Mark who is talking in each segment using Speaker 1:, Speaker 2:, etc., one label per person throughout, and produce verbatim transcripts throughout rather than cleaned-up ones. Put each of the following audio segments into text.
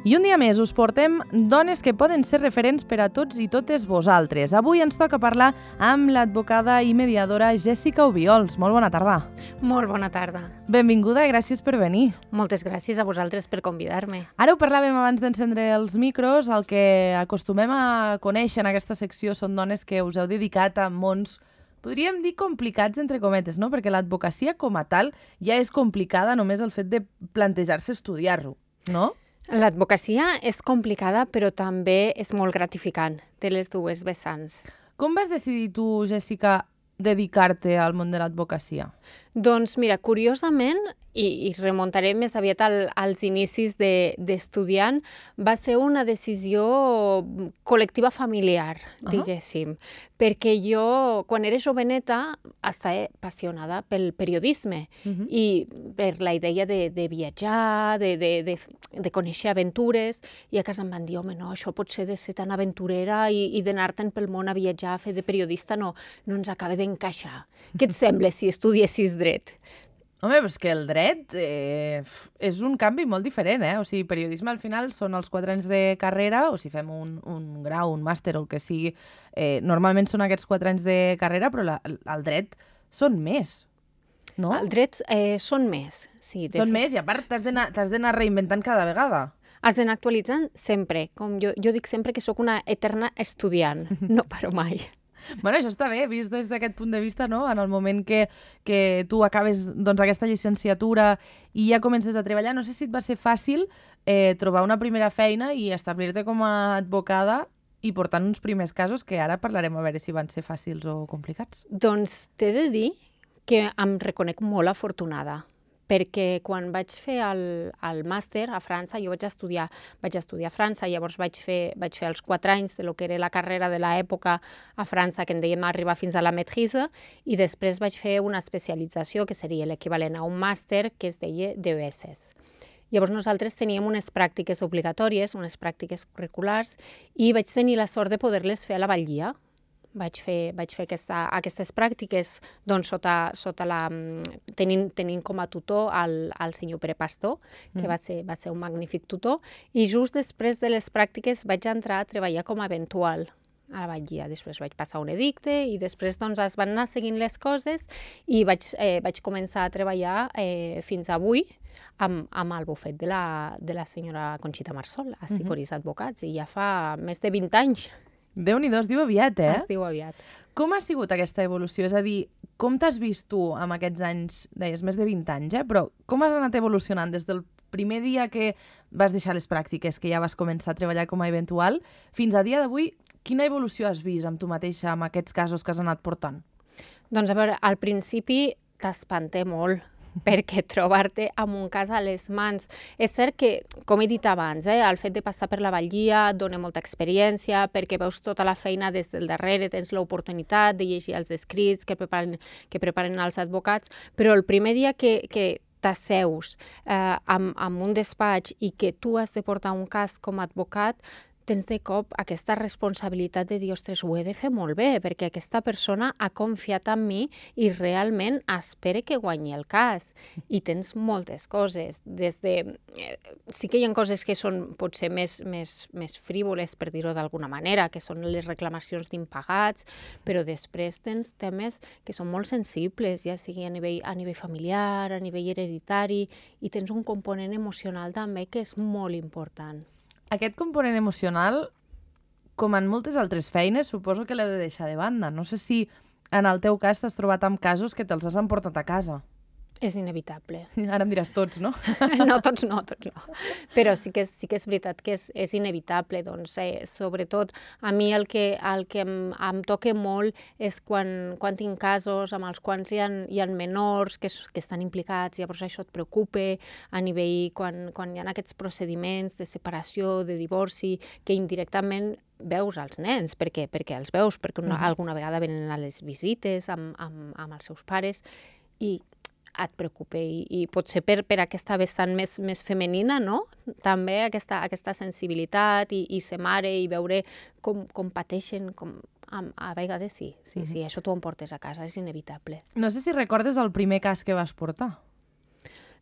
Speaker 1: I un dia més us portem dones que poden ser referents per a tots i totes vosaltres. Avui ens toca parlar amb l'advocada i mediadora Jèssica Obiols. Molt bona tarda.
Speaker 2: Molt bona tarda.
Speaker 1: Benvinguda i gràcies per venir.
Speaker 2: Moltes gràcies a vosaltres per convidar-me.
Speaker 1: Ara ho parlàvem abans d'encendre els micros. El que acostumem a conèixer en aquesta secció són dones que us heu dedicat a mons, podríem dir complicats entre cometes, no? Perquè l'advocacia com a tal ja és complicada només el fet de plantejar-se estudiar-ho, no?
Speaker 2: L'advocacia és complicada, però també és molt gratificant. Té les dues vessants.
Speaker 1: Com vas decidir tu, Jèssica, dedicar-te al món de l'advocacia?
Speaker 2: Doncs mira, curiosament, i, i remuntaré més aviat al, als inicis d'estudiant, de, va ser una decisió col·lectiva familiar, uh-huh. diguéssim. Perquè jo, quan era joveneta, estava apassionada pel periodisme uh-huh. i per la idea de, de viatjar, de, de, de, de conèixer aventures, i a casa em van dir, home, no, això pot ser de ser tan aventurera i, i d'anar-te'n pel món a viatjar, a fer de periodista, no, no ens acaba d'encaixar. Què et sembla si estudiessis dret?
Speaker 1: Home, però és que el dret eh, és un canvi molt diferent, eh? O sigui, periodisme al final són els quatre anys de carrera, o si fem un, un grau, un màster o el que sigui, eh, normalment són aquests quatre anys de carrera, però la, el dret són més, no?
Speaker 2: El dret eh, són més, sí.
Speaker 1: Són fet... més i a part t'has d'anar reinventant cada vegada.
Speaker 2: Has d'anar actualitzant sempre. Com jo, jo dic sempre que sóc una eterna estudiant, no paro mai.
Speaker 1: Bueno, això està bé, vist des d'aquest punt de vista, no? En el moment que, que tu acabes doncs, aquesta llicenciatura i ja comences a treballar, no sé si et va ser fàcil eh, trobar una primera feina i establir-te com a advocada i portant uns primers casos que ara parlarem a veure si van ser fàcils o complicats.
Speaker 2: Doncs t'he de dir que em reconec molt afortunada, perquè quan vaig fer el, el màster a França, jo vaig estudiar, vaig estudiar a França, llavors vaig fer, vaig fer els quatre anys de lo que era la carrera de l'època a França, que en dèiem arribar fins a la maîtrise, i després vaig fer una especialització, que seria l'equivalent a un màster, que es deia D E S S. Llavors nosaltres teníem unes pràctiques obligatòries, unes pràctiques curriculars, i vaig tenir la sort de poder-les fer a la Batllia. Vaig fer, vaig fer aquesta, aquestes pràctiques doncs, sota, sota la, tenint, tenint com a tutor el, el senyor Pere Pastor, que mm. va, ser, va ser un magnífic tutor, i just després de les pràctiques vaig entrar a treballar com a eventual a la Batllia. Després vaig passar un edicte i després doncs, es van anar seguint les coses i vaig, eh, vaig començar a treballar eh, fins avui amb, amb el bufet de la, de la senyora Conxita Marsol, a Sicoris mm-hmm. Advocats, i ja fa més de vint anys.
Speaker 1: Déu-n'hi-do, es diu aviat, eh?
Speaker 2: Es diu aviat.
Speaker 1: Com ha sigut aquesta evolució? És a dir, com t'has vist tu amb aquests anys, deies, més de vint anys, eh? Però com has anat evolucionant des del primer dia que vas deixar les pràctiques, que ja vas començar a treballar com a eventual, fins a dia d'avui, quina evolució has vist amb tu mateixa, amb aquests casos que has anat portant?
Speaker 2: Doncs a veure, al principi t'espanta molt, perquè trobar-te amb un cas a les mans. És cert que, com he dit abans, eh, el fet de passar per la Batllia et dona molta experiència, perquè veus tota la feina des del darrere, tens l'oportunitat de llegir els escrits que preparen, que preparen els advocats, però el primer dia que, que t'asseus eh, amb, amb un despatx i que tu has de portar un cas com a advocat, tens de cop aquesta responsabilitat de dir, ostres, ho he de fer molt bé, perquè aquesta persona ha confiat en mi i realment espera que guanyi el cas. I tens moltes coses. Des de... Sí que hi ha coses que són potser més, més, més frívoles, per dir-ho d'alguna manera, que són les reclamacions d'impagats, però després tens temes que són molt sensibles, ja sigui a nivell, a nivell familiar, a nivell hereditari, i tens un component emocional també que és molt important.
Speaker 1: Aquest component emocional, com en moltes altres feines, suposo que l'heu de deixar de banda. No sé si en el teu cas t'has trobat amb casos que te'ls has emportat a casa.
Speaker 2: És inevitable.
Speaker 1: Ara em diràs tots, no?
Speaker 2: No, tots no, tots no. Però sí que és, sí que és veritat que és, és inevitable. Doncs, eh, sobretot, a mi el que, el que em, em toca molt és quan, quan tinc casos amb els quals hi ha, hi ha menors que, que estan implicats, llavors això et preocupa a nivell quan, quan hi ha aquests procediments de separació, de divorci, que indirectament veus els nens. Per què? Perquè els veus, perquè una, uh-huh. alguna vegada venen a les visites amb, amb, amb els seus pares i et preocupa i, i potser per, per aquesta vessant més, més femenina, no? També aquesta, aquesta sensibilitat i, i ser mare i veure com, com pateixen, com, a, a vegades sí, sí, mm-hmm. sí, això t'ho emportes a casa, és inevitable.
Speaker 1: No sé si recordes el primer cas que vas portar.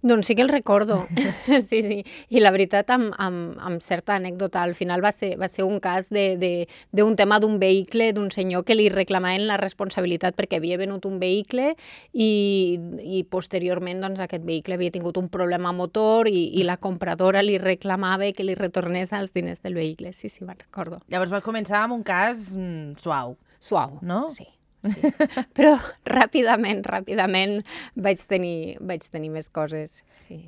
Speaker 2: Doncs sí que el recordo, sí, sí. I la veritat, amb, amb, amb certa anècdota, al final va ser, va ser un cas d'un tema d'un vehicle, d'un senyor que li reclamaven la responsabilitat perquè havia venut un vehicle i, i posteriorment doncs, aquest vehicle havia tingut un problema motor i, i la compradora li reclamava que li retornés els diners del vehicle. Sí, sí, me'n recordo.
Speaker 1: Llavors vas començar amb un cas mm, suau.
Speaker 2: Suau,
Speaker 1: no?
Speaker 2: Sí. Sí. Però ràpidament, ràpidament vaig tenir, vaig tenir més coses. Sí.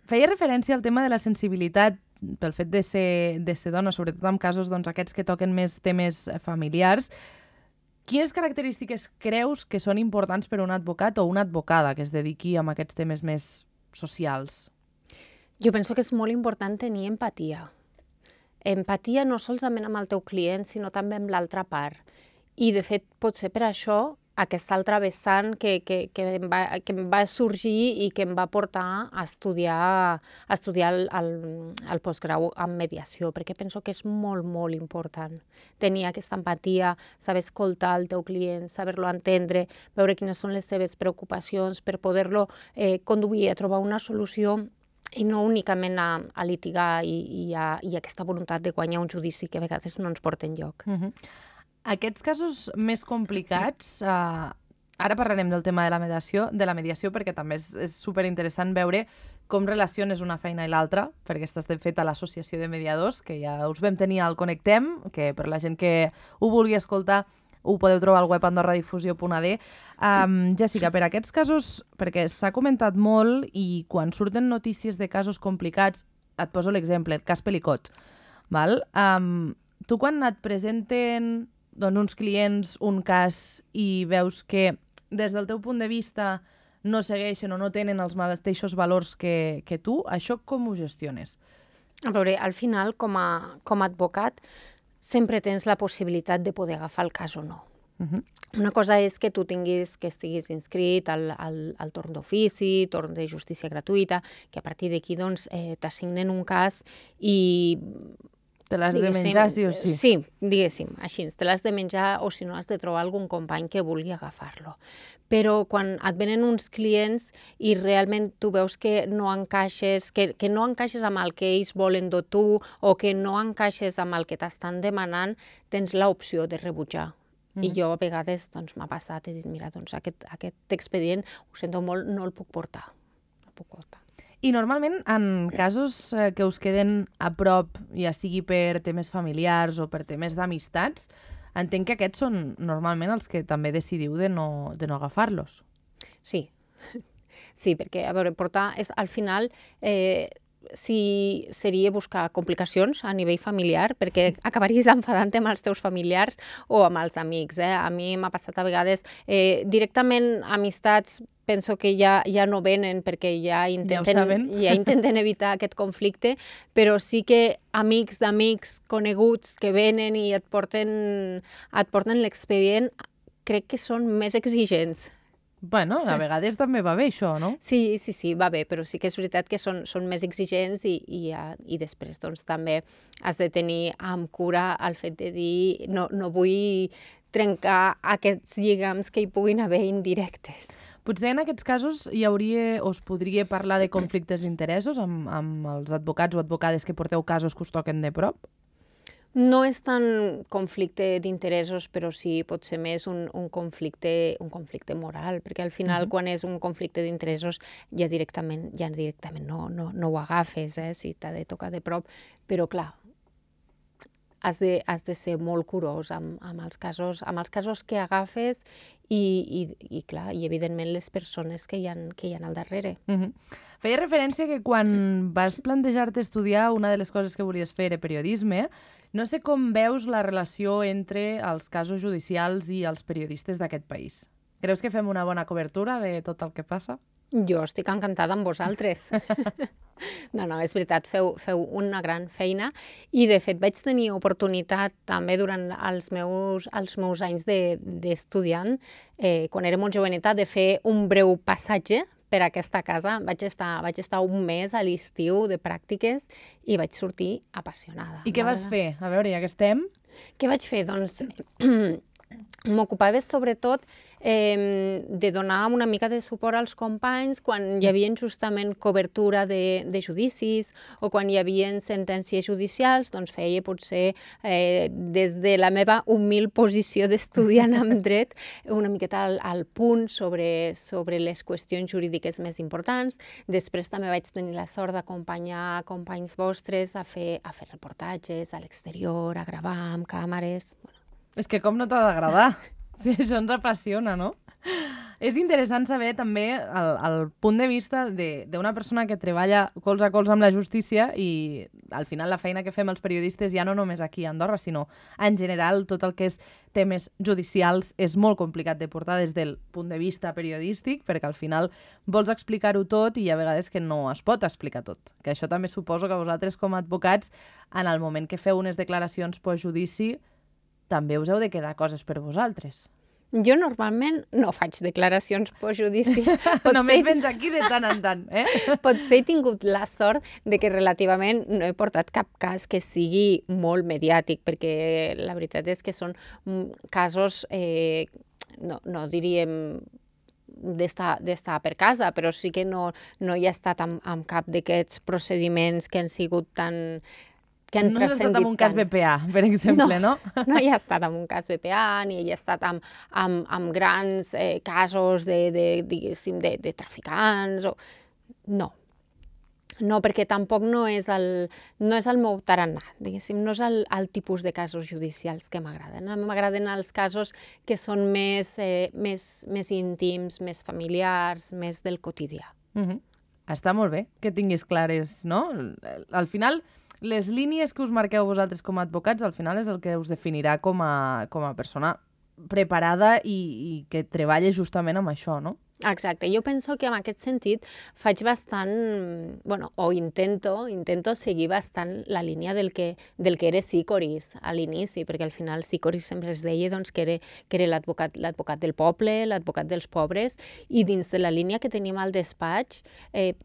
Speaker 1: Feia referència al tema de la sensibilitat pel fet de ser, de ser dona, sobretot en casos doncs, aquests que toquen més temes familiars. Quines característiques creus que són importants per a un advocat o una advocada que es dediqui a aquests temes més socials?
Speaker 2: Jo penso que és molt important tenir empatia. Empatia no solament amb el teu client, sinó també amb l'altra part. I, de fet, potser per això aquesta altra vessant que, que, que, em va, que em va sorgir i que em va portar a estudiar, a estudiar el, el, el postgrau en mediació, perquè penso que és molt, molt important tenir aquesta empatia, saber escoltar el teu client, saber-lo entendre, veure quines són les seves preocupacions per poder-lo eh, conduir a trobar una solució i no únicament a, a litigar i, i, a, i aquesta voluntat de guanyar un judici que a vegades no ens porta enlloc.
Speaker 1: Uh-huh. Aquests casos més complicats, eh, ara parlarem del tema de la mediació, de la mediació perquè també és, és superinteressant veure com relaciones una feina i l'altra, perquè estàs de fet a l'Associació de Mediadors, que ja us vam tenir al Connectem, que per la gent que ho vulgui escoltar ho podeu trobar al web andorradifusió punt a d. Um, Jessica, per aquests casos, perquè s'ha comentat molt i quan surten notícies de casos complicats, et poso l'exemple, el cas Pelicot, val? Um, tu quan et presenten doncs, uns clients un cas i veus que des del teu punt de vista no segueixen o no tenen els mateixos valors que, que tu, això com ho gestiones?
Speaker 2: A veure, al final, com a, com a advocat, sempre tens la possibilitat de poder agafar el cas o no.
Speaker 1: Uh-huh.
Speaker 2: Una cosa és que tu tinguis, que estiguis inscrit al, al, al torn d'ofici, torn de justícia gratuïta, que a partir d'aquí doncs, eh, t'assignen un cas i
Speaker 1: te l'has de menjar, sí o sí?
Speaker 2: Sí, diguéssim, així. Te l'has de menjar o si no has de trobar algun company que vulgui agafar-lo. Però quan et venen uns clients i realment tu veus que no encaixes, que, que no encaixes amb el que ells volen de tu o que no encaixes amb el que t'estan demanant, tens l'opció de rebutjar. Mm. I jo a vegades doncs, m'ha passat i he dit, mira, doncs aquest, aquest expedient, ho sento molt, no el puc portar. No el puc portar.
Speaker 1: I normalment, en casos eh, que us queden a prop, ja sigui per temes familiars o per temes d'amistats, entenc que aquests són normalment els que també decidiu de no, de no agafar-los.
Speaker 2: Sí, sí, perquè, a veure, portar, és, al final, eh, si seria buscar complicacions a nivell familiar, perquè acabaries enfadant amb els teus familiars o amb els amics. Eh? A mi m'ha passat a vegades eh, directament amistats, penso que ja, ja no venen perquè ja intenten,
Speaker 1: ja
Speaker 2: ja intenten evitar aquest conflicte, però sí que amics d'amics coneguts que venen i et porten, et porten l'expedient, crec que són més exigents.
Speaker 1: Bueno, a vegades també va bé això, no?
Speaker 2: Sí, sí, sí, va bé, però sí que és veritat que són, són més exigents i, i, i després doncs, també has de tenir amb cura el fet de dir no, no vull trencar aquests lligams que hi puguin haver indirectes.
Speaker 1: Potser en aquests casos hi hauria o es podria parlar de conflictes d'interessos amb, amb els advocats o advocades que porteu casos que us toquen de prop?
Speaker 2: No és tant conflicte d'interessos, però sí pot ser més un, un, conflicte, un conflicte moral, perquè al final uh-huh. quan és un conflicte d'interessos ja directament, ja directament no, no, no ho agafes, eh, si t'ha de tocar de prop, però clar, has de, has de ser molt curós amb, amb, els casos, amb els casos que agafes i, i, i, clar, i evidentment les persones que hi ha, que hi ha al darrere.
Speaker 1: Uh-huh. Feia referència que quan vas plantejar-te estudiar, una de les coses que volies fer era periodisme. No sé com veus la relació entre els casos judicials i els periodistes d'aquest país. Creus que fem una bona cobertura de tot el que passa?
Speaker 2: Jo estic encantada amb vosaltres. No, no, és veritat, feu, feu una gran feina i, de fet, vaig tenir oportunitat també durant els meus, els meus anys d'estudiant, de, eh, quan era molt joveneta, de fer un breu passatge per aquesta casa. Vaig estar, vaig estar un mes a l'estiu de pràctiques i vaig sortir apassionada.
Speaker 1: I què vas fer? A veure, ja que estem...
Speaker 2: Què vaig fer? Doncs m'ocupava sobretot eh, de donar una mica de suport als companys quan hi havia justament cobertura de, de judicis o quan hi havia sentències judicials, doncs feia potser eh, des de la meva humil posició d'estudiant en dret una miqueta al, al punt sobre, sobre les qüestions jurídiques més importants. Després també vaig tenir la sort d'acompanyar companys vostres a fer, a fer reportatges a l'exterior, a gravar amb càmeres.
Speaker 1: És que com no t'ha d'agradar? Si això ens apassiona, no? És interessant saber també el, el punt de vista d'una persona que treballa colze a colze amb la justícia i al final la feina que fem els periodistes ja no només aquí a Andorra, sinó en general tot el que és temes judicials és molt complicat de portar des del punt de vista periodístic perquè al final vols explicar-ho tot i hi ha vegades que no es pot explicar tot. Que això també suposo que vosaltres com a advocats en el moment que feu unes declaracions postjudici també us heu de quedar coses per vosaltres.
Speaker 2: Jo normalment no faig declaracions postjudici.
Speaker 1: Només vens aquí de tant en tant, eh?
Speaker 2: Potser he tingut la sort de que relativament no he portat cap cas que sigui molt mediàtic, perquè la veritat és que són casos, eh, no, no diríem d'estar per casa, però sí que no, no hi ha estat amb, amb cap d'aquests procediments que han sigut tan... que han
Speaker 1: no has estat amb un cas B P A, per exemple, no?
Speaker 2: No, no hi ha estat amb un cas B P A, ni hi ha estat amb, amb, amb grans eh, casos de, de, diguéssim, de, de traficants. O... No. No, perquè tampoc no és el, no és el meu tarannà, diguéssim, no és el, el tipus de casos judicials que m'agraden. M'agraden els casos que són més, eh, més, més íntims, més familiars, més del quotidià.
Speaker 1: Uh-huh. Està molt bé que tinguis clares, no? Al final... les línies que us marqueu vosaltres com a advocats al final és el que us definirà com a, com a persona preparada i, i que treballa justament amb això, no?
Speaker 2: Exacte. Jo penso que en aquest sentit faig bastant, bueno, o intento, intento seguir bastant la línia del que, del que era Sicoris a l'inici, perquè al final Sicoris sempre es deia doncs, que era, que era l'advocat l'advocat del poble, l'advocat dels pobres, i dins de la línia que tenim al despatx, eh,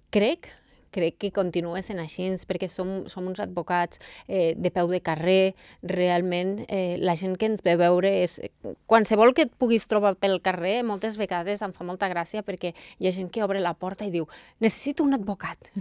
Speaker 2: crec crec que continua sent així, perquè som, som uns advocats eh, de peu de carrer, realment eh, la gent que ens ve veure és... Qualsevol que et puguis trobar pel carrer, moltes vegades em fa molta gràcia perquè hi ha gent que obre la porta i diu necessito un advocat,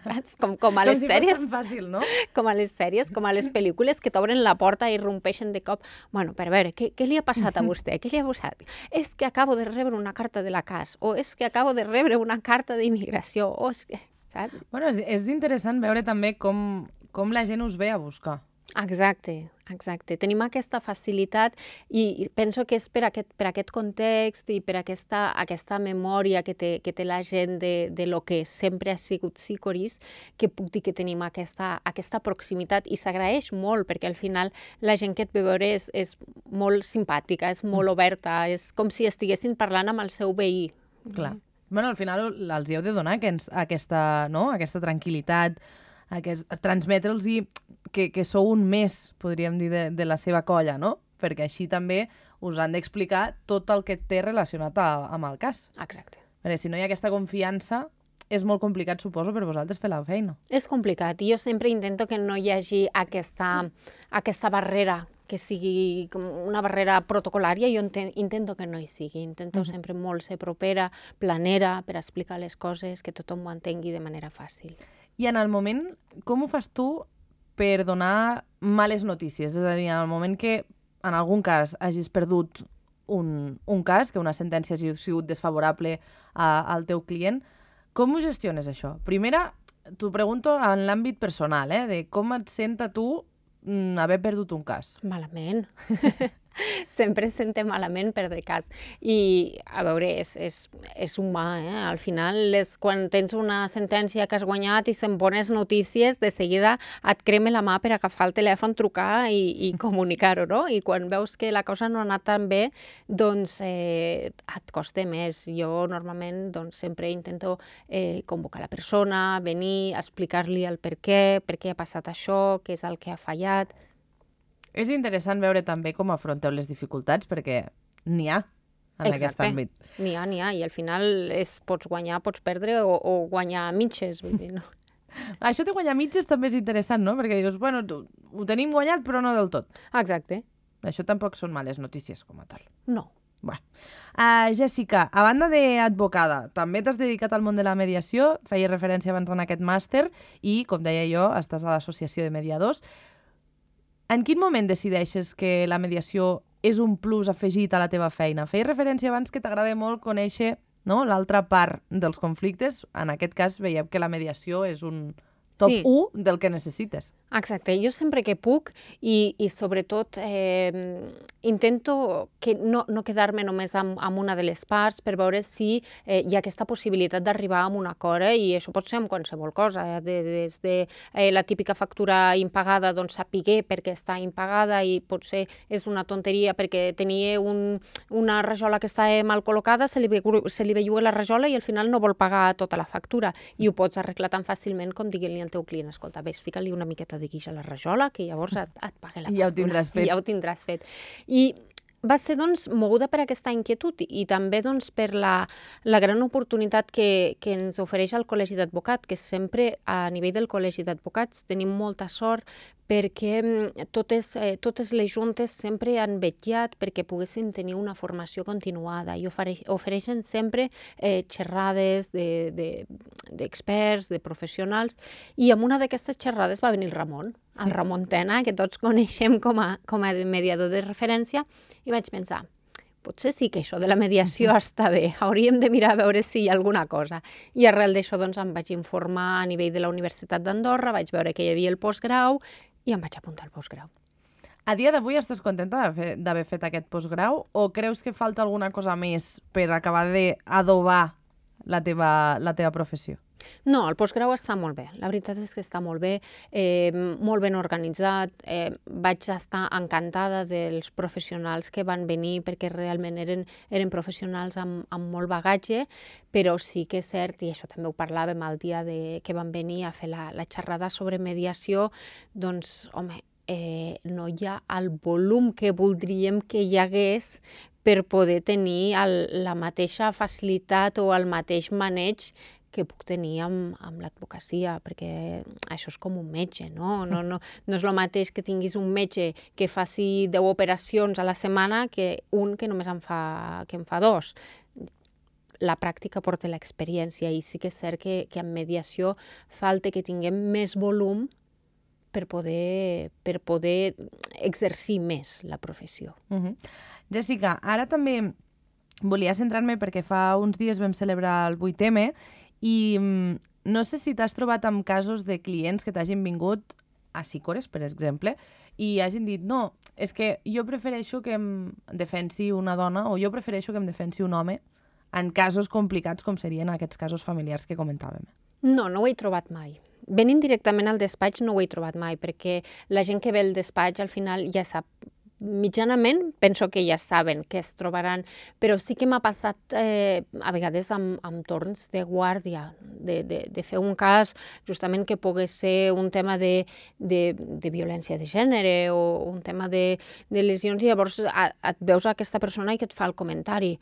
Speaker 2: saps? Com, com a les
Speaker 1: com si
Speaker 2: sèries...
Speaker 1: fos tan fàcil, no?
Speaker 2: Com a les sèries, com a les pel·lícules que t'obren la porta i irrompeixen de cop. Bueno, per veure, què, què li ha passat a vostè? Què li ha passat? És que acabo de rebre una carta de la C A S, o és que acabo de rebre una carta d'immigració, o és que... Saps?
Speaker 1: Bueno, és, és interessant veure també com, com la gent us ve a buscar.
Speaker 2: Exacte, exacte. Tenim aquesta facilitat i penso que és per aquest, per aquest context i per aquesta, aquesta memòria que té, que té la gent de, de lo que sempre ha sigut Sicoris, que puc dir que tenim aquesta, aquesta proximitat i s'agraeix molt perquè al final la gent que et ve veure és, és molt simpàtica, és molt oberta, és com si estiguessin parlant amb el seu veí.
Speaker 1: Clar. Bueno, al final els hi heu de donar aquest, aquesta, no? aquesta tranquil·litat, aquest, transmetre'ls que, que sou un més, podríem dir, de, de la seva colla, no? Perquè així també us han d'explicar tot el que té relacionat a, amb el cas.
Speaker 2: Exacte.
Speaker 1: Perquè si no hi ha aquesta confiança, és molt complicat, suposo, per vosaltres fer la feina.
Speaker 2: És complicat i jo sempre intento que no hi hagi aquesta, aquesta barrera que sigui com una barrera protocolària, jo intento que no hi sigui. Intento uh-huh. sempre molt ser propera, planera, per explicar les coses, que tothom ho entengui de manera fàcil.
Speaker 1: I en el moment, com ho fas tu per donar males notícies? És a dir, en el moment que en algun cas hagis perdut un, un cas, que una sentència hagi sigut desfavorable a, al teu client, com ho gestiones això? Primera, t'ho pregunto en l'àmbit personal, eh, de com et sent a tu haver perdut un cas.
Speaker 2: Malament. Sempre es sente malament perdre cas. I, a veure, és, és, és humà, eh? Al final, és, quan tens una sentència que has guanyat i se'n bones notícies, de seguida et crema la mà per agafar el telèfon, trucar i, i comunicar-ho, no? I quan veus que la cosa no ha anat tan bé, doncs eh, et costa més. Jo, normalment, doncs, sempre intento eh, convocar la persona, venir, explicar-li el per què, per què ha passat això, què és el que ha fallat.
Speaker 1: És interessant veure també com afronteu les dificultats, perquè n'hi ha en
Speaker 2: Exacte.
Speaker 1: Aquest àmbit.
Speaker 2: N'hi ha, n'hi ha, i al final és, pots guanyar, pots perdre o, o guanyar a mitges, vull dir, no?
Speaker 1: Això de guanyar mitges també és interessant, no? Perquè dius, bueno, ho tenim guanyat, però no del tot.
Speaker 2: Exacte.
Speaker 1: Això tampoc són males notícies com a tal.
Speaker 2: No.
Speaker 1: Bueno. Uh, Jessica, a banda d'advocada, també t'has dedicat al món de la mediació, feia referència abans en aquest màster i, com deia jo, estàs a l'associació de mediadors. En quin moment decideixes que la mediació és un plus afegit a la teva feina? Feia referència abans que t'agrada molt conèixer, no, l'altra part dels conflictes. En aquest cas veiem que la mediació és un top
Speaker 2: Sí.
Speaker 1: u del que necessites.
Speaker 2: Exacte, jo sempre que puc i, i sobretot eh, intento que no, no quedar-me només amb, amb una de les parts per veure si eh, hi ha aquesta possibilitat d'arribar a un acord, eh? I això pot ser amb qualsevol cosa, eh? de, des de eh, la típica factura impagada, doncs sapiguer perquè està impagada i potser és una tonteria perquè tenia un, una rajola que està mal col·locada, se li, se li belluga la rajola i al final no vol pagar tota la factura i ho pots arreglar tan fàcilment com dient-li al teu client, escolta, ves, fica-li una miqueta de guix a la rajola, que llavors et, et pague la factura.
Speaker 1: Ja ho tindràs fet.
Speaker 2: Ja ho tindràs fet. I va ser, doncs, moguda per aquesta inquietud i també, doncs, per la, la gran oportunitat que, que ens ofereix el Col·legi d'Advocat, que sempre, a nivell del Col·legi d'Advocats, tenim molta sort perquè totes, eh, totes les juntes sempre han vetllat perquè poguessin tenir una formació continuada i ofereix, ofereixen sempre eh, xerrades d'experts, de, de, de professionals, i en una d'aquestes xerrades va venir el Ramon, el Ramon Tena, que tots coneixem com a, com a mediador de referència, i vaig pensar, potser sí que això de la mediació està bé, hauríem de mirar a veure si hi ha alguna cosa. I arrel d'això doncs, em vaig informar a nivell de la Universitat d'Andorra, vaig veure que hi havia el postgrau i em vaig apuntar al postgrau.
Speaker 1: A dia d'avui estàs contenta d'haver fet aquest postgrau o creus que falta alguna cosa més per acabar d'adobar la teva, la teva professió?
Speaker 2: No, el postgrau està molt bé. La veritat és que està molt bé, eh, molt ben organitzat. Eh, vaig estar encantada dels professionals que van venir perquè realment eren, eren professionals amb, amb molt bagatge, però sí que és cert, i això també ho parlàvem el dia de, que van venir a fer la, la xerrada sobre mediació, doncs, home, eh, no hi ha el volum que voldríem que hi hagués per poder tenir el, la mateixa facilitat o el mateix maneig que puc tenir amb, amb l'advocacia, perquè això és com un metge, no? No, no, no és el mateix que tinguis un metge que faci deu operacions a la setmana que un que només en fa, que en fa dos. La pràctica porta l'experiència i sí que és cert que, que en mediació falta que tinguem més volum per poder, per poder exercir més la professió.
Speaker 1: Uh-huh. Jessica, ara també volia centrar-me perquè fa uns dies vam celebrar el vuit eme i no sé si t'has trobat amb casos de clients que t'hagin vingut a Sicores, per exemple, i hagin dit, no, és que jo prefereixo que em defensi una dona o jo prefereixo que em defensi un home en casos complicats com serien aquests casos familiars que comentàvem.
Speaker 2: No, no ho he trobat mai. Venint directament al despatx no ho he trobat mai, perquè la gent que ve al despatx al final ja sap, mitjanament penso que ja saben què es trobaran, però sí que m'ha passat eh, a vegades amb, amb torns de guàrdia, de, de, de fer un cas justament que pogués ser un tema de, de, de violència de gènere o un tema de, de lesions i llavors a, et veus a aquesta persona i que et fa el comentari.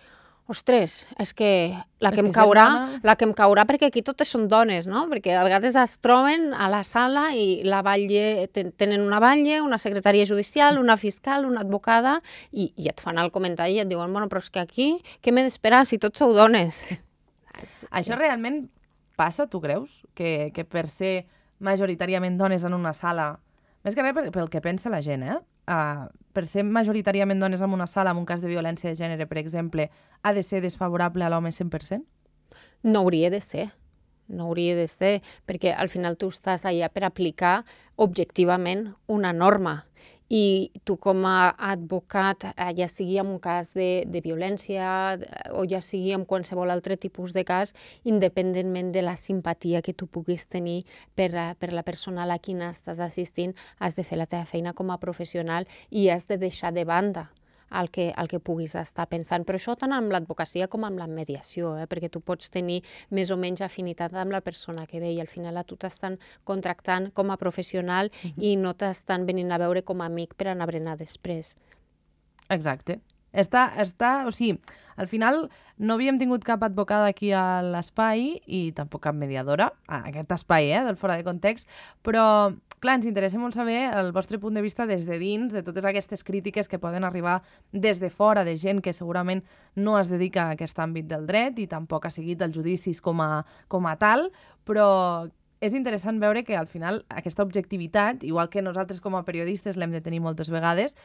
Speaker 2: Ostres, és que la que em caurà, la que em caurà perquè aquí totes són dones, no? Perquè a vegades es troben a la sala i la batlle, tenen una batlle, una secretària judicial, una fiscal, una advocada i, i et fan el comentari i et diuen, bueno, però és que aquí què m'he d'esperar si tots sou dones?
Speaker 1: Això realment passa, tu creus? Que, que per ser majoritàriament dones en una sala, més que res pel que pensa la gent, eh? Uh, per ser majoritàriament dones en una sala, en un cas de violència de gènere, per exemple, ha de ser desfavorable a l'home cent per cent?
Speaker 2: No hauria de ser. No hauria de ser, perquè al final tu estàs allà per aplicar objectivament una norma. I tu com a advocat, ja sigui en un cas de, de violència o ja sigui en qualsevol altre tipus de cas, independentment de la simpatia que tu puguis tenir per, per la persona a la qui estàs assistint, has de fer la teva feina com a professional i has de deixar de banda el que, el que puguis estar pensant. Però això tant amb l'advocacia com amb la mediació, eh? Perquè tu pots tenir més o menys afinitat amb la persona que ve i al final a tu t'estan contractant com a professional uh-huh. i no t'estan venint a veure com a amic per anar a berenar després.
Speaker 1: Exacte. Està, està, o sigui, al final no havíem tingut cap advocada aquí a l'espai i tampoc cap mediadora, a aquest espai, eh, del Fora de Context, però, clar, ens interessa molt saber el vostre punt de vista des de dins, de totes aquestes crítiques que poden arribar des de fora, de gent que segurament no es dedica a aquest àmbit del dret i tampoc ha seguit els judicis com a, com a tal, però és interessant veure que al final aquesta objectivitat, igual que nosaltres com a periodistes l'hem de tenir moltes vegades,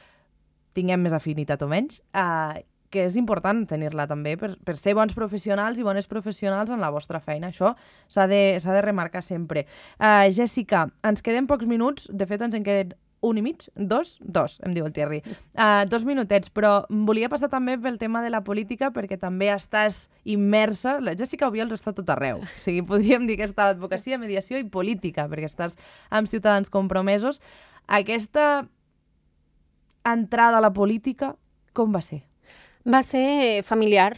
Speaker 1: tinguem més afinitat o menys, eh, que és important tenir-la també per, per ser bons professionals i bones professionals en la vostra feina. Això s'ha de, s'ha de remarcar sempre. Uh, Jessica, ens queden pocs minuts, de fet ens en queden un i mig, dos, dos, em diu el Thierry. Uh, dos minutets, però volia passar també pel tema de la política perquè també estàs immersa. La Jessica Obiols està tot arreu. O sigui, podríem dir que està a l'advocacia, mediació i política, perquè estàs amb Ciutadans Compromesos. Aquesta entrada a la política, com va ser?
Speaker 2: Va ser familiar.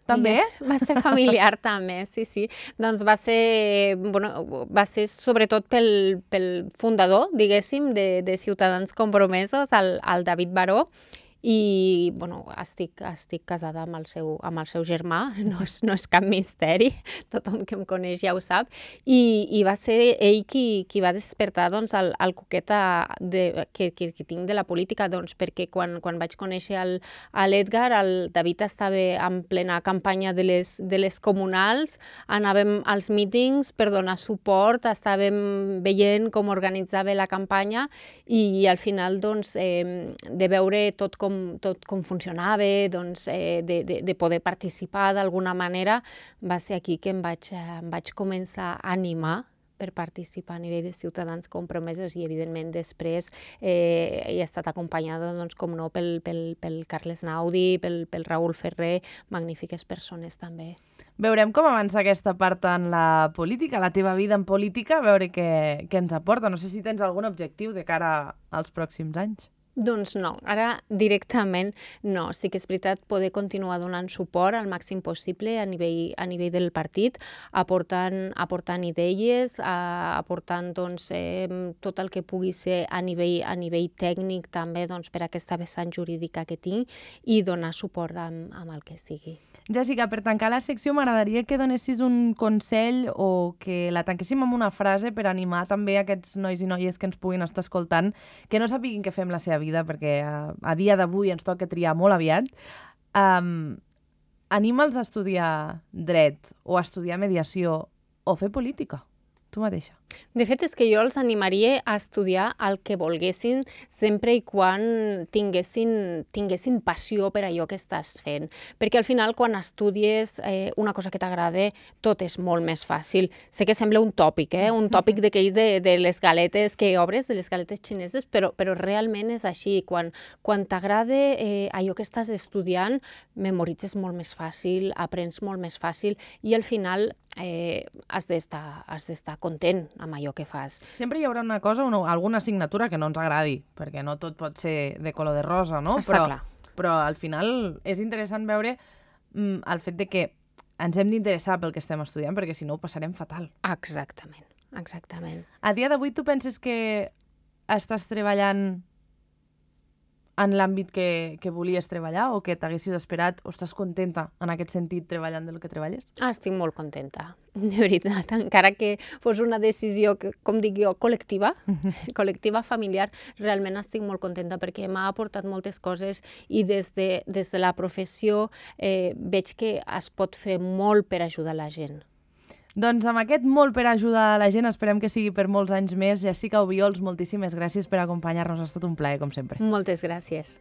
Speaker 1: També?
Speaker 2: Va ser familiar també, sí, sí. Doncs va ser, bueno, va ser sobretot pel, pel fundador, diguéssim, de, de Ciutadans Compromesos, el, el David Baró, i bueno, estic, estic casada amb el seu, amb el seu germà, no és, no és cap misteri, tothom que em coneix ja ho sap, i, i va ser ell qui, qui va despertar doncs, el, el coqueta de, que, que, que tinc de la política, doncs, perquè quan, quan vaig conèixer l'Edgar, el David estava en plena campanya de les, de les comunals, anàvem als mítings per donar suport, estàvem veient com organitzava la campanya i, i al final doncs, eh, de veure tot com Com, tot com funcionava, doncs, eh, de, de, de poder participar d'alguna manera, va ser aquí que em vaig, em vaig començar a animar per participar a nivell de Ciutadans Compromesos i, evidentment, després eh, he estat acompanyada, doncs, com no, pel, pel, pel Carles Naudi, pel, pel Raül Ferrer, magnífiques persones també.
Speaker 1: Veurem com avança aquesta part en la política, la teva vida en política, a veure què, què ens aporta. No sé si tens algun objectiu de cara als pròxims anys.
Speaker 2: Doncs no, ara directament no. Sí que és veritat poder continuar donant suport al màxim possible a nivell, a nivell del partit, aportant, aportant idees, aportant doncs, eh, tot el que pugui ser a nivell, a nivell tècnic també doncs, per aquesta vessant jurídica que tinc i donar suport amb, amb el que sigui.
Speaker 1: Jessica, per tancar la secció m'agradaria que donessis un consell o que la tanquéssim amb una frase per animar també aquests nois i noies que ens puguin estar escoltant, que no sàpiguin què fem la seva vida, perquè a, a dia d'avui ens toca triar molt aviat. Um, anima'ls a estudiar dret o a estudiar mediació o fer política. Tu mateixa.
Speaker 2: De fet, és que jo els animaria a estudiar el que volguessin sempre i quan tinguessin, tinguessin passió per allò que estàs fent. Perquè al final, quan estudies eh, una cosa que t'agrada, tot és molt més fàcil. Sé que sembla un tòpic, eh? un tòpic d'aquells de, de les galetes que obres, de les galetes xineses, però, però realment és així. Quan, quan t'agrada eh, allò que estàs estudiant, memoritzes molt més fàcil, aprens molt més fàcil i al final eh, has d'estar has d'estar content amb allò que fas.
Speaker 1: Sempre hi haurà una cosa, una, alguna assignatura que no ens agradi, perquè no tot pot ser de color de rosa, no?
Speaker 2: Està
Speaker 1: però,
Speaker 2: clar.
Speaker 1: Però al final és interessant veure mm, el fet de que ens hem d'interessar pel que estem estudiant, perquè si no ho passarem fatal.
Speaker 2: Exactament, exactament.
Speaker 1: A dia d'avui tu penses que estàs treballant en l'àmbit que, que volies treballar o que t'haguessis esperat o estàs contenta en aquest sentit treballant del que treballes?
Speaker 2: Ah, estic molt contenta, de veritat. Encara que fos una decisió, que, com dic jo, col·lectiva, col·lectiva familiar, realment estic molt contenta perquè m'ha aportat moltes coses i des de, des de la professió eh, veig que es pot fer molt per ajudar la gent.
Speaker 1: Doncs amb aquest molt per ajudar la gent, esperem que sigui per molts anys més. Jessica Obiols, moltíssimes gràcies per acompanyar-nos. Ha estat un plaer, com sempre.
Speaker 2: Moltes gràcies.